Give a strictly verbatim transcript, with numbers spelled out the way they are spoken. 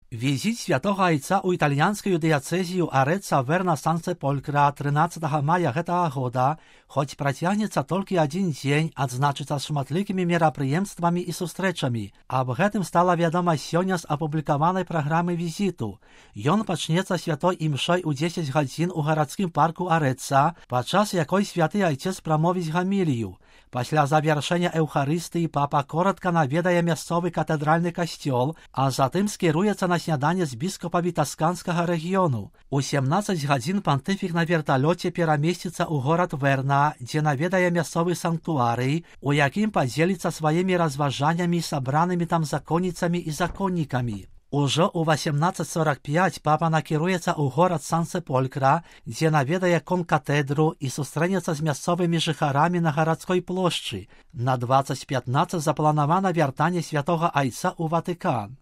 Візит святого Айца ў італьянскую дыяцэзію Арэца Верна Сан-Сеполькра трынаццатага мая гэтага года, хоць працягнецца толькі адзін дзень, адзначыцца шматлікімі мерапрыемствамі і сустрэчамі. Аб гэтым стала вядома сёння з апублікаванай праграмы візіту. Ён пачнецца святой імшой у дзесяць гадзін у гарадскім парку Арэца, падчас якой святы айцец прамовіць гамілію. Пасля завяршэння эўхарыстыі папа коротка наведае мясцовы катэдральны касцёл, а затым скіруецца на сняданне з біскупамі тасканскага рэгіёну. У сямнаццаць гадзін пантыфік на верталёце перамесціцца ў горад Верна, дзе наведае мясцовы санктуарый, у якім падзеліцца сваімі разважаннямі сабранымі там законніцамі і законнікамі. Ужо ў васемнаццаць сорак пяць папа накіруецца ў горад Сан-Сеполькра, дзе наведае конкатэдру і сустрэнецца з мясцовымі жыхарамі на гарадской плошчы. На дваццаць пятнаццаць запланавана вяртанне святога айца ў Ватыкан.